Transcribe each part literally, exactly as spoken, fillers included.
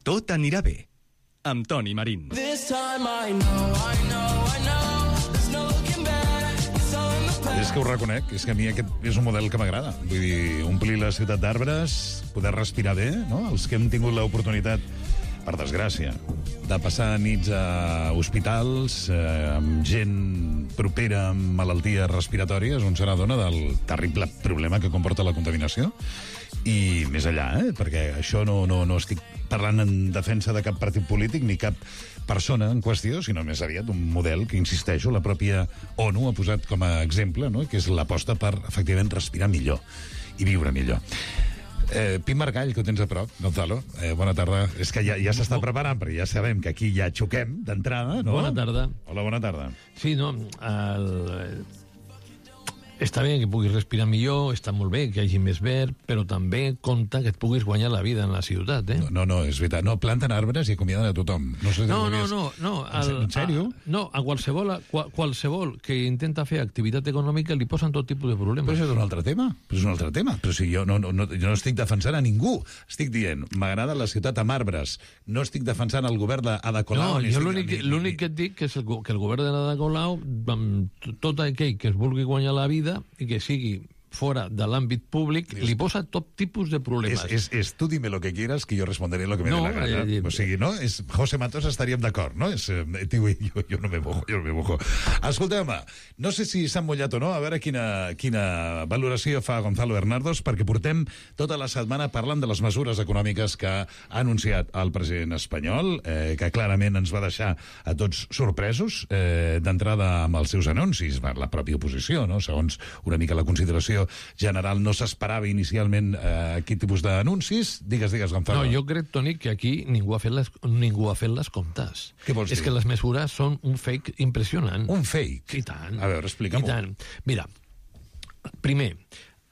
Tot anirà bé, amb Toni Marín. This time I know, I know, I know, there's no looking back, it's all in the past. És que ho reconec, és que a mi aquest és un model que m'agrada. Vull dir, omplir la ciutat d'arbres, poder respirar bé, no? Els que hem tingut l'oportunitat, per desgràcia, de passar nits a hospitals eh, amb gent propera amb malalties respiratòries, on se n'adona del terrible problema que comporta la contaminació. I més allà, eh? Perquè això no, no, no estic parlant en defensa de cap partit polític ni cap persona en qüestió, sinó més aviat un model que, insisteixo, la pròpia ONU ha posat com a exemple, no? Que és l'aposta per, efectivament, respirar millor i viure millor. Eh, Pim Margall, que ho tens a prop, Gonzalo, eh, bona tarda. És que ja, ja s'està preparant, perquè ja sabem que aquí ja xoquem d'entrada, no? Bona tarda. Hola, bona tarda. Sí, no, el... està bé que puguis respirar millor, està molt bé que hi hagi més verd, però també compta que et puguis guanyar la vida en la ciutat, eh? No, no, no és veritat. No, planten arbres i acomiaden a tothom. No, sé si No, ho no, havies- no, no. En, en sèrio? A, no, a qualsevol, a qual, qualsevol que intenta fer activitat econòmica li posen tot tipus de problemes. Però això és un altre tema. Però és un altre tema. Però si jo no, no, no, jo no estic defensant a ningú. Estic dient, m'agrada la ciutat amb arbres. No estic defensant el govern d'Ada Colau. No, ni jo estic- l'únic ni- ni- l'únic que et dic que és el, go- que el govern de l'Ada Colau, amb t- tot aquell que es vulgui guanyar la vida i que sigui fora de l'àmbit públic, li posa tot tipus de problemes. Es, es, es tú dime lo que quieras que yo responderé lo que me No, dé la gana. eh, o sigui, no? És, José Matos estaríem d'acord, no? És, eh, tio, jo, jo no me mojo, jo no me mojo. Escolteu-me, no sé si s'han mullat o no, a veure quina, quina valoració fa Gonzalo Bernardos, perquè portem tota la setmana parlant de les mesures econòmiques que ha anunciat el president espanyol, eh, que clarament ens va deixar a tots sorpresos, eh, d'entrada amb els seus anuncis, per la pròpia oposició, no? Segons una mica la consideració general, no s'esperava inicialment eh, quin tipus d'anuncis. Digues, digues, Gonzalo. No, jo crec, Toni, que aquí ningú ha fet les, ningú ha fet les comptes. Què vols És dir? que les mesures són un fake impressionant. Un fake? I tant. A veure, explica'm-ho. I tant. Mira, primer,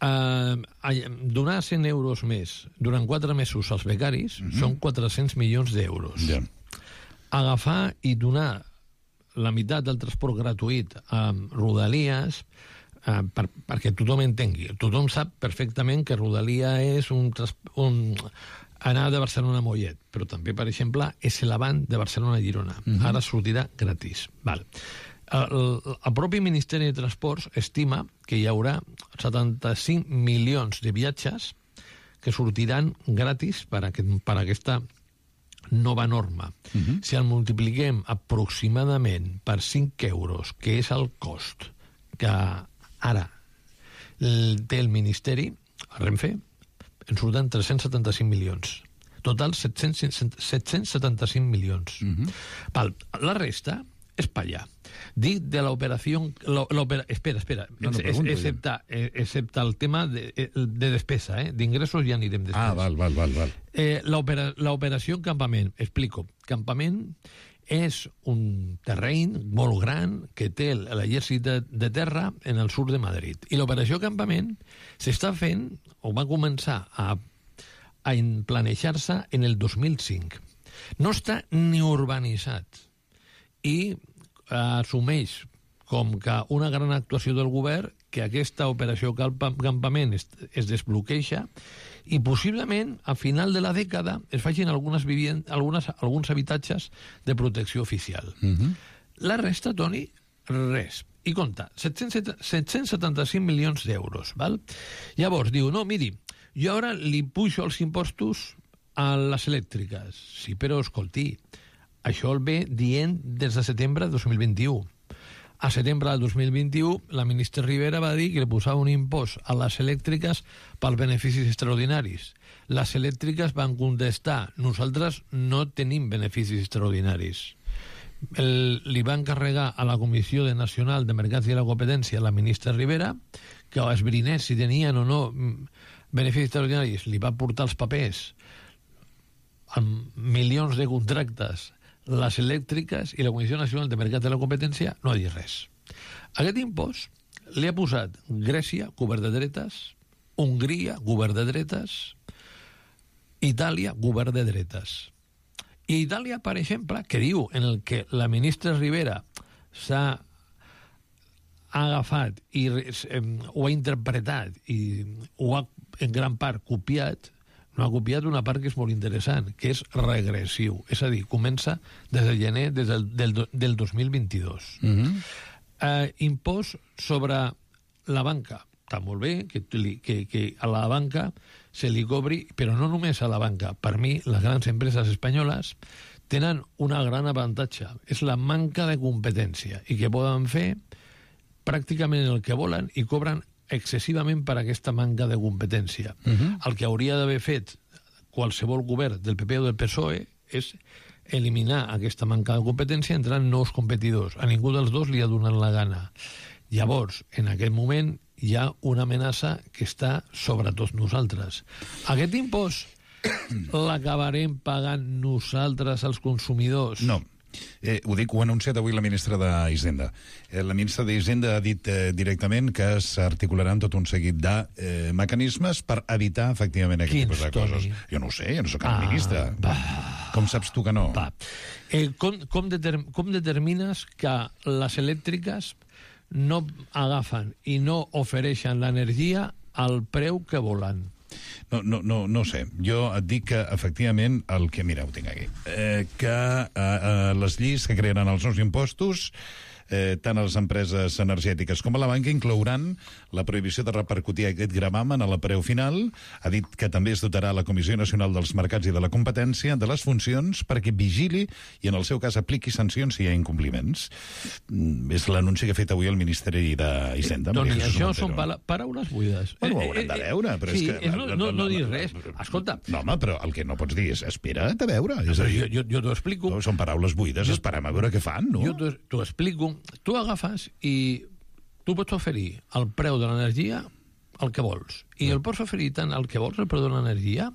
eh, donar cent euros més durant quatre mesos als becaris Mhm. són quatre-cents milions d'euros. Ja. Agafar i donar la meitat del transport gratuït a Rodalies, eh, per, perquè tothom entengui. Tothom sap perfectament que Rodalia és un, tras- un anar de Barcelona a Mollet, però també, per exemple, és l'avant de Barcelona a Girona. Mhm. Ara sortirà gratis. Val. El, el propi Ministeri de Transports estima que hi haurà setanta-cinc milions de viatges que sortiran gratis per, aquest, per aquesta nova norma. Mhm. Si el multipliquem aproximadament per cinc euros, que és el cost que ara el- té el Ministeri, el Renfe, en surten tres-cents setanta-cinc milions. Total, set-cents setanta-cinc milions. Mhm. Val. La resta és pa allà. Dic de l'operació... la- l'opera- Espera, espera. No, no, Ex- pregunto, excepte, eh, excepte el tema de, de despesa, eh? D'ingressos ja anirem després. Ah, val, val, val, val. Eh, l'opera- L'operació en campament, explico. Campament és un terreny molt gran que té l'exèrcit de, de terra en el sud de Madrid. I l'operació campament s'està fent, o va començar a, a planejar-se en el dos mil cinc. No està ni urbanitzat. I eh, assumeix com que una gran actuació del govern que aquesta operació campa- campament es, es desbloqueja i possiblement a final de la dècada es facin algunes vivien, algunes, alguns habitatges de protecció oficial. Mhm. La resta, Toni, res. I compta, set-cents setanta-cinc milions d'euros, val? Llavors diu, no, miri, jo ara li pujo els impostos a les elèctriques. Sí, però escolti, això el ve dient des de setembre de dos mil vint-i-u. A setembre del dos mil vint-i-u, la ministra Rivera va dir que li posava un impost a les elèctriques pels beneficis extraordinaris. Les elèctriques van contestar, nosaltres no tenim beneficis extraordinaris. El, li va encarregar a la Comissió de Nacional de Mercats i la Competència, la ministra Rivera, que esbrinés si tenien o no mm, beneficis extraordinaris. Li va portar els papers amb milions de contractes, les elèctriques, i la Comissió Nacional de Mercat de la Competència no ha dit res. Aquest impost li ha posat Grècia, govern de dretes, Hongria, govern de dretes, Itàlia, govern de dretes. I Itàlia, per exemple, que diu en el que la ministra Rivera s'ha agafat i eh, ho ha interpretat i ho ha en gran part copiat, no ha copiat una part que és molt interessant, que és regressiu. És a dir, comença des de gener des del, del, del dos mil vint-i-dos. Mm-hmm. eh, impost sobre la banca. Està molt bé que, que, que a la banca se li cobri, però no només a la banca. Per mi, les grans empreses espanyoles tenen una gran avantatge. És la manca de competència i que poden fer pràcticament el que volen i cobren excessivament per aquesta manca de competència. Uh-huh. El que hauria d'haver fet qualsevol govern del P P o del P S O E és eliminar aquesta manca de competència entrant nous competidors. A ningú dels dos li ha donat la gana. Llavors, en aquest moment, hi ha una amenaça que està sobre tots nosaltres. Aquest impost l'acabarem pagant nosaltres, els consumidors? No. Eh, ho dic, ho ha anunciat avui la ministra d'Hisenda. Eh, la ministra d'Hisenda ha dit eh, directament que s'articularan tot un seguit de eh, mecanismes per evitar, efectivament, aquest tipus de coses. Jo no ho sé, jo no soc cap ah, ministra. Va. Com saps tu que no? Va. Eh, com, com, determ com determines que les elèctriques no agafen i no ofereixen l'energia al preu que volen? No, no, no, no sé. Jo et dic que, efectivament, el que... Mira, ho tinc aquí. Eh, que eh, eh, les lleis que crearan els nous impostos, eh, tant a les empreses energètiques com a la banca, inclouran la prohibició de repercutir aquest gravamen a la preu final. Ha dit que també es dotarà la Comissió Nacional dels Mercats i de la Competència de les funcions perquè vigili i, en el seu cas, apliqui sancions si hi ha incompliments. Mm, és l'anunci que ha fet avui el Ministeri d'Hisenda. Eh, doncs això són pa paraules buides. Bueno, ho haurem de veure, però sí, és que... És no, no, no dir res. Escolta... No, home, però el que no pots dir és espera't a veure. És a dir, jo jo, jo t'ho explico. Són paraules buides, jo, esperem a veure què fan, no? Jo t'ho explico. Tu agafes i tu pots oferir el preu de l'energia el que vols. I el pots oferir tant el que vols, el preu de l'energia,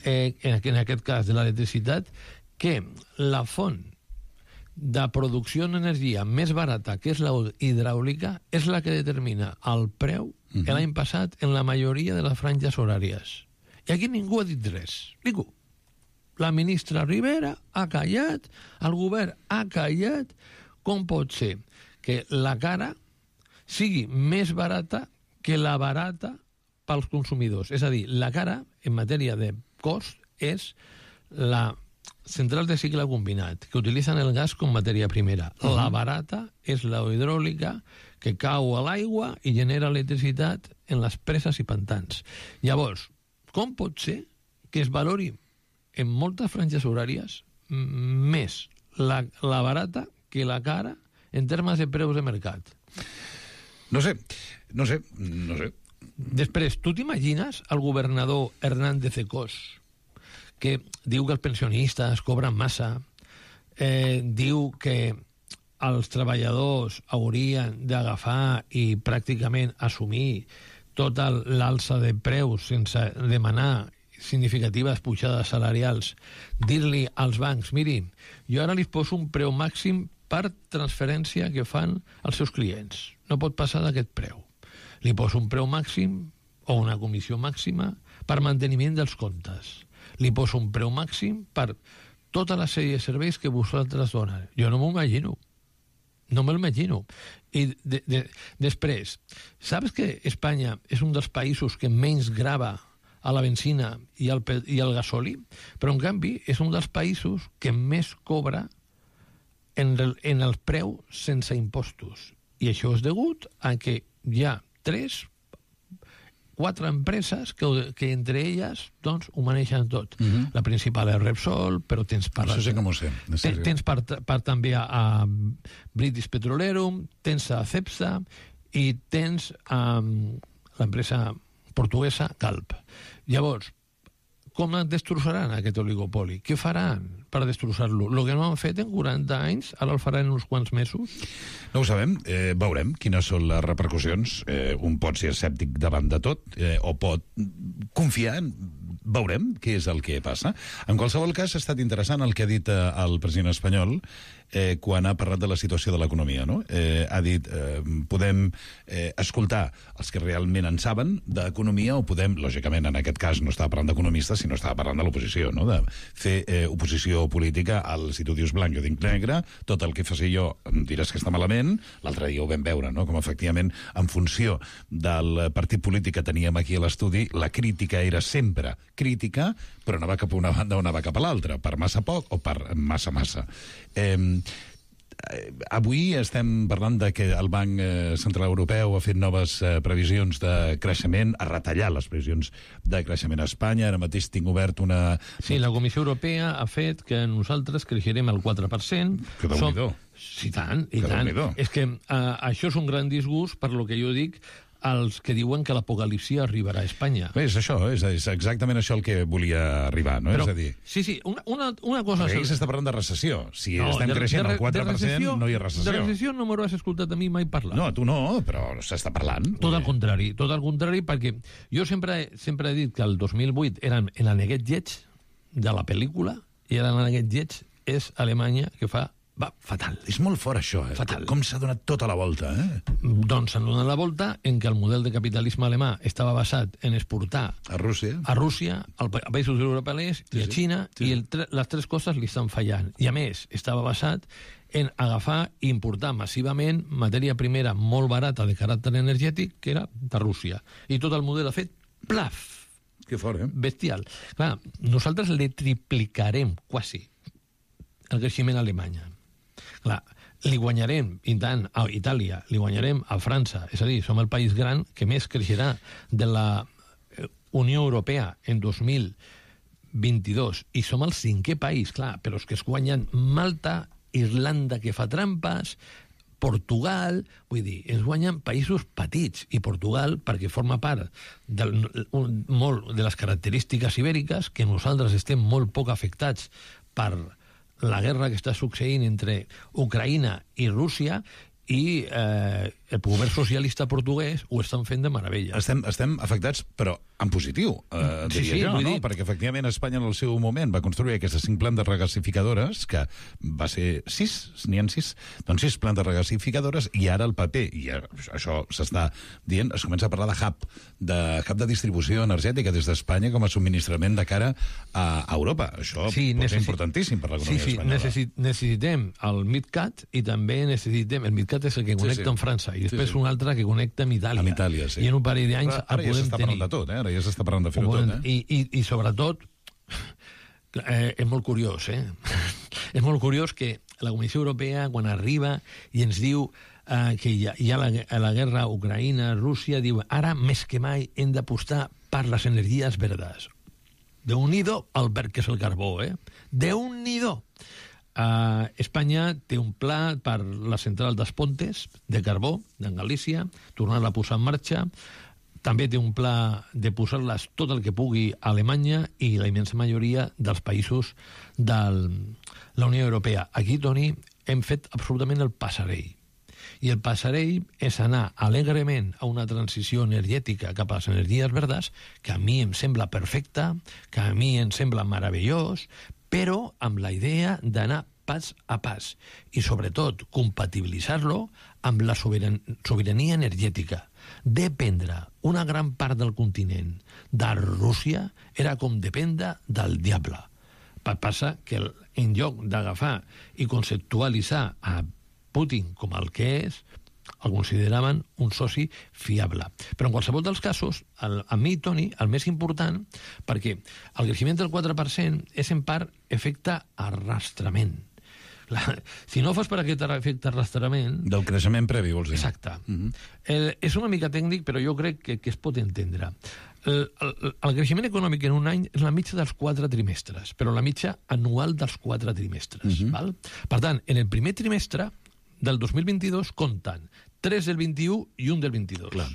eh, en, en aquest cas de l'electricitat, que la font de producció d'energia més barata, que és la hidràulica, és la que determina el preu uh-huh. l'any passat en la majoria de les franges horàries. I aquí ningú ha dit res. Ningú. La ministra Rivera ha callat, el govern ha callat. Com pot ser que la cara sigui més barata que la barata pels consumidors? És a dir, la cara, en matèria de cost, és la central de cicle combinat, que utilitzen el gas com matèria primera. Uh-huh. La barata és la hidràulica, que cau a l'aigua i genera electricitat en les preses i pantans. Llavors, com pot ser que es valori en moltes franges horàries més la, la barata que la cara en termes de preus de mercat? No sé, no sé, no sé. Després, tu t'imagines el governador Hernández de Cos, que diu que els pensionistes cobren massa, eh, diu que els treballadors haurien d'agafar i pràcticament assumir tota l'alça de preus sense demanar significatives pujades salarials, dir-li als bancs, miri, jo ara li poso un preu màxim per transferència que fan els seus clients. No pot passar d'aquest preu. Li poso un preu màxim o una comissió màxima per manteniment dels comptes. Li poso un preu màxim per tota la sèrie de serveis que vosaltres donen. Jo no m'ho imagino. No me'l imagino. I de, de, després, saps que Espanya és un dels països que menys grava a la benzina i al, i al gasoli, però en canvi és un dels països que més cobra en el, en el preu sense impostos. I això és degut a que hi ha tres, quatre empreses que, que entre elles doncs, ho maneixen tot. Uh-huh. La principal és Repsol, però tens per... Això sí que m'ho sé. Ten, tens per, per també a, a British Petroleum, tens a Cepsa i tens a l'empresa portuguesa Galp. Llavors, com destrossaran aquest oligopoli? Què faran per destrossar-lo? El que no han fet en quaranta anys, ara el faran en uns quants mesos? No ho sabem. Eh, veurem quines són les repercussions. Eh, un pot ser escèptic davant de tot eh, o pot confiar en... Veurem què és el que passa. En qualsevol cas, ha estat interessant el que ha dit eh, el president espanyol eh, quan ha parlat de la situació de l'economia, no? Eh, ha dit, eh, podem eh, escoltar els que realment en saben d'economia o podem, lògicament, en aquest cas no estava parlant d'economistes, sinó estava parlant de l'oposició, no? De fer eh, oposició decisió política, el, si tu dius blanc, jo dic negre, tot el que faci jo em diràs que està malament, l'altre dia ho vam veure, no? Com efectivament, en funció del partit polític que teníem aquí a l'estudi, la crítica era sempre crítica, però anava cap a una banda o anava cap a l'altra, per massa poc o per massa massa. Eh, Avui estem parlant de que el Banc Central Europeu ha fet noves eh, previsions de creixement, ha retallat les previsions de creixement a Espanya. Ara mateix tinc obert una... Sí, la Comissió Europea ha fet que nosaltres creixerem el quatre per cent. Que déu-n'hi-do. Sí, tant, i Que tant. déu-n'hi-do. És que uh, això és un gran disgust per lo que jo dic als que diuen que l'apocalipsi arribarà a Espanya. Bé, és això, és, és exactament això el que volia arribar, no? Però, és a dir... sí, sí, una, una, una cosa... Perquè aquí s'està parlant de recessió. Si No, estem de- creixent de- al quatre per cent, de recessió- no hi ha recessió. De recessió no m'hauràs escoltat a mi mai parlar. No, tu no, però s'està parlant. Tot al contrari, tot al contrari, perquè jo sempre, sempre he dit que el dos mil vuit eren en l'aneguet lleig de la pel·lícula, i ara l'aneguet lleig és Alemanya, que fa va fatal. És molt fort, això, eh? Fatal. Com s'ha donat tota la volta, eh? Doncs s'han donat la volta en què el model de capitalisme alemà estava basat en exportar A Rússia. a Rússia, al pa- a països europeus i a sí. Xina, Sí, i sí. el tre les tres coses li estan fallant. I a més, estava basat en agafar i importar massivament matèria primera molt barata de caràcter energètic, que era de Rússia. I tot el model ha fet plaf, Que fort, eh? bestial. Clar, nosaltres le triplicarem quasi el creixement a Alemanya. Clar, li guanyarem, i tant, a Itàlia, li guanyarem a França. És a dir, som el país gran que més creixerà de la eh, Unió Europea en dos mil vint-i-dos. I som el cinquè país, clar, però és que es guanyen Malta, Irlanda, que fa trampes, Portugal, vull dir, ens guanyen països petits, i Portugal, perquè forma part del, un, molt de les característiques ibèriques, que nosaltres estem molt poc afectats per la guerra que està succeint entre Ucraïna i Rússia, i eh, el govern socialista portuguès ho estan fent de meravella. Estem, estem afectats, però en positiu, eh, Sí, diria sí, jo, vull no? dir- Perquè efectivament Espanya en el seu moment va construir aquestes cinc plantes regasificadores, que va ser sis, n'hi ha sis, doncs sis plantes regasificadores, i ara el paper, i això s'està dient, es comença a parlar de hub, de hub de distribució energètica des d'Espanya com a subministrament de cara a Europa. Això Sí, pot ser necessi- importantíssim per l'economia Sí, sí, espanyola. necessi- necessitem el MidCat, i també necessitem... El MidCat és el que connecta sí. amb França, i després Sí, sí. un altre que connecta amb Itàlia. Amb Itàlia, sí. I en un parell d'anys Ara, el ara ja podem s'està tenir. parlant de tot, eh? Ara ja s'està parlant de Ho fer-ho tot, podem- eh? I, i, I sobretot, eh, és molt curiós, eh? És molt curiós que la Comissió Europea, quan arriba i ens diu eh, que hi ha, hi ha la, la guerra Ucraïna-Rússia, diu ara més que mai hem d'apostar per les energies verdes. Déu-n'hi-do el verd que és el carbó, eh? Déu-n'hi-do! Uh, Espanya té un pla per la central dels Pontes de carbó, de Galícia, tornar-la a posar en marxa. També té un pla de posar-les tot el que pugui a Alemanya i la immensa majoria dels països de la Unió Europea. Aquí, Toni, hem fet absolutament el passarell. I el passarell és anar alegrement a una transició energètica cap a les energies verdes, que a mi em sembla perfecta, que a mi em sembla meravellós, però amb la idea d'anar pas a pas i, sobretot, compatibilitzar-lo amb la soberan sobirania energètica. Dependre una gran part del continent de Rússia era com dependre del diable. Passa que en lloc d'agafar i conceptualitzar a Putin com el que és, el consideraven un soci fiable. Però en qualsevol dels casos, el, a mi, Toni, el més important, perquè el creixement del quatre per cent és en part efecte arrastrament. La, si no fos per aquest efecte arrastrament... Del creixement previ, vols dir? Exacte. Mm-hmm. el, és una mica tècnic, però jo crec que, que es pot entendre. El, el, el creixement econòmic en un any és la mitja dels quatre trimestres, però la mitja anual dels quatre trimestres. Mm-hmm. Val? Per tant, en el primer trimestre del dos mil vint-i-dos compten tres del vint-i-u i un del vint-i-dos. Clar.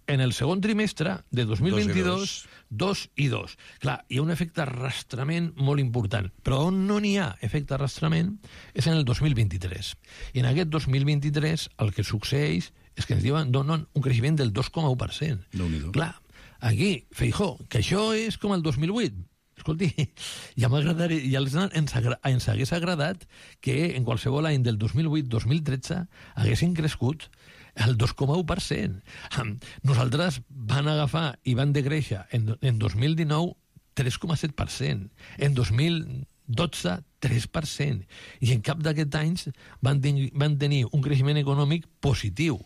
En el segon trimestre de dos mil vint-i-dos, dos i dos. Clar, hi ha un efecte arrastrament molt important, però on no n'hi ha efecte arrastrament és en el dos mil vint-i-tres. I en aquest dos mil vint-i-tres el que succeeix és que ens diuen, donen un creixement del dos coma u per cent. Déu-n'hi-do. Clar, aquí, Feijó, que això és com el dos mil vuit. Escolti, ja m'agradaria, ja ens, agra, ens hagués agradat que en qualsevol any del dos mil vuit dos mil tretze haguessin crescut el dos coma u per cent. Nosaltres van agafar i van decréixer en, en dos mil dinou tres coma set per cent, en dos mil dotze tres per cent. I en cap d'aquests anys van, ten van tenir un creixement econòmic positiu.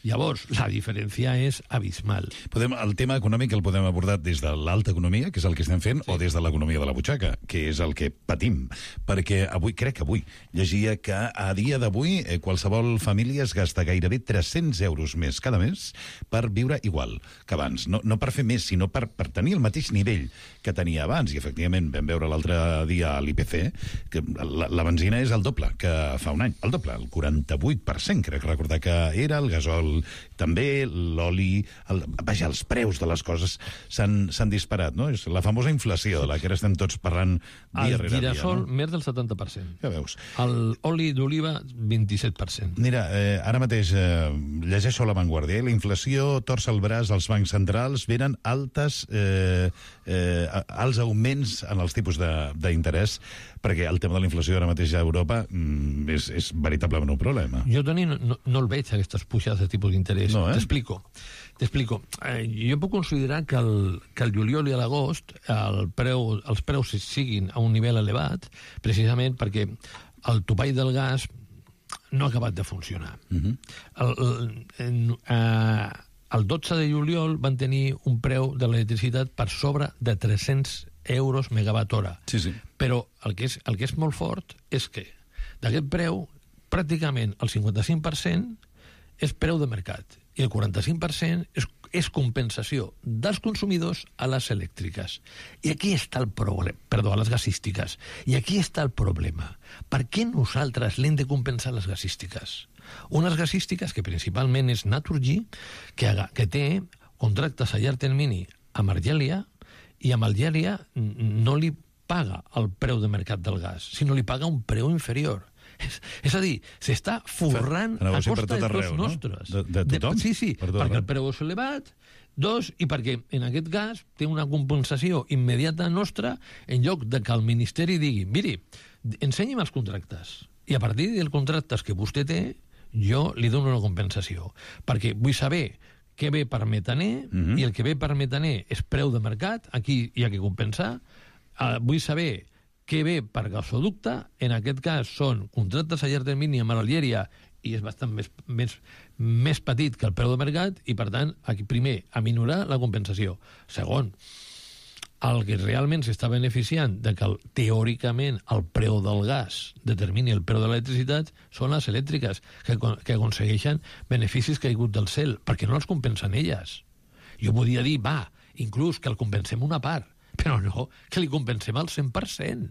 Llavors, la diferència és abismal. Podem, el tema econòmic el podem abordar des de l'alta economia, que és el que estem fent, sí. o des de l'economia de la butxaca, que és el que patim. Perquè avui, crec que avui, llegia que a dia d'avui eh, qualsevol família es gasta gairebé tres-cents euros més cada mes per viure igual que abans. No, no per fer més, sinó per, per tenir el mateix nivell que tenia abans. I, efectivament, vam veure l'altre dia a l'I P C que la, la benzina és el doble que fa un any. El doble, el quaranta-vuit per cent, crec recordar que era, el gasol també, l'oli... El, vaja, els preus de les coses s'han disparat, no? És la famosa inflació de la que ara estem tots parlant dia rere dia. El girasol, no? més del setanta per cent. Ja veus. L'oli d'oliva, vint-i-set per cent. Mira, eh, ara mateix eh, llegeixo a La Vanguardia, eh? La inflació torça el braç als bancs centrals, venen altes, eh, eh, alts augments en els tipus d'interès, perquè el tema de la inflació ara mateix a Europa mm, és, és veritablement un problema. Jo, Toni, no, no el veig, aquestes pujades de tipus d'interès. No, eh? T'explico. T'explico. Eh, jo puc considerar que el, que el juliol i l'agost el preu, els preus siguin a un nivell elevat, precisament perquè el topall del gas no ha acabat de funcionar. Uh-huh. el, el, en, eh, el dotze de juliol van tenir un preu de l'electricitat per sobre de tres-cents euros megawatt hora. Sí, sí. Però el que és, el que és molt fort és que d'aquest preu pràcticament el cinquanta-cinc per cent és preu de mercat i el quaranta-cinc per cent és, és compensació dels consumidors a les elèctriques. I aquí està el problema, perdó, a les gasístiques. I aquí està el problema. Per què nosaltres l'hem de compensar les gasístiques? Unes gasístiques que principalment és Naturgy, que, que té contractes a llarg termini amb Argèlia, i amb Algèria no li paga el preu de mercat del gas, sinó li paga un preu inferior. És, és a dir, s'està forrant a costa de tots nostres. No? De, de tothom? De, sí, sí, per tot perquè arreu. el preu és elevat, dos, i perquè en aquest gas té una compensació immediata nostra en lloc de que el Ministeri digui, miri, ensenyi'm els contractes, i a partir dels contractes que vostè té, jo li dono una compensació, perquè vull saber què ve per metaner, uh-huh. i el que ve per metaner és preu de mercat, aquí hi ha que compensar. Uh, vull saber què ve per gasoducte, en aquest cas són contractes a llarg termini amb Algèria i és bastant més, més, més petit que el preu de mercat i, per tant, aquí primer, aminorar la compensació. Segon, el que realment s'està beneficiant de que, el, teòricament, el preu del gas determini el preu de l'electricitat són les elèctriques, que, que aconsegueixen beneficis caiguts del cel, perquè no els compensen elles. Jo podia dir, va, inclús que el compensem una part, però no, que li compensem al cent per cent.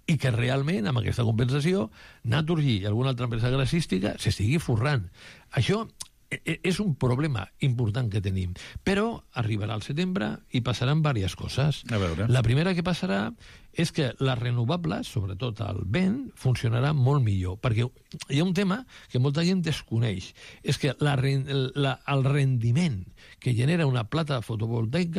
I que realment, amb aquesta compensació, Naturgy i alguna altra empresa gasística s'estigui forrant. Això és un problema important que tenim, però arribarà al setembre i passaran diverses coses. A veure. La primera que passarà és que les renovables, sobretot el vent, funcionarà molt millor, perquè hi ha un tema que molta gent desconeix, és que la, la, el rendiment que genera una plata fotovoltaica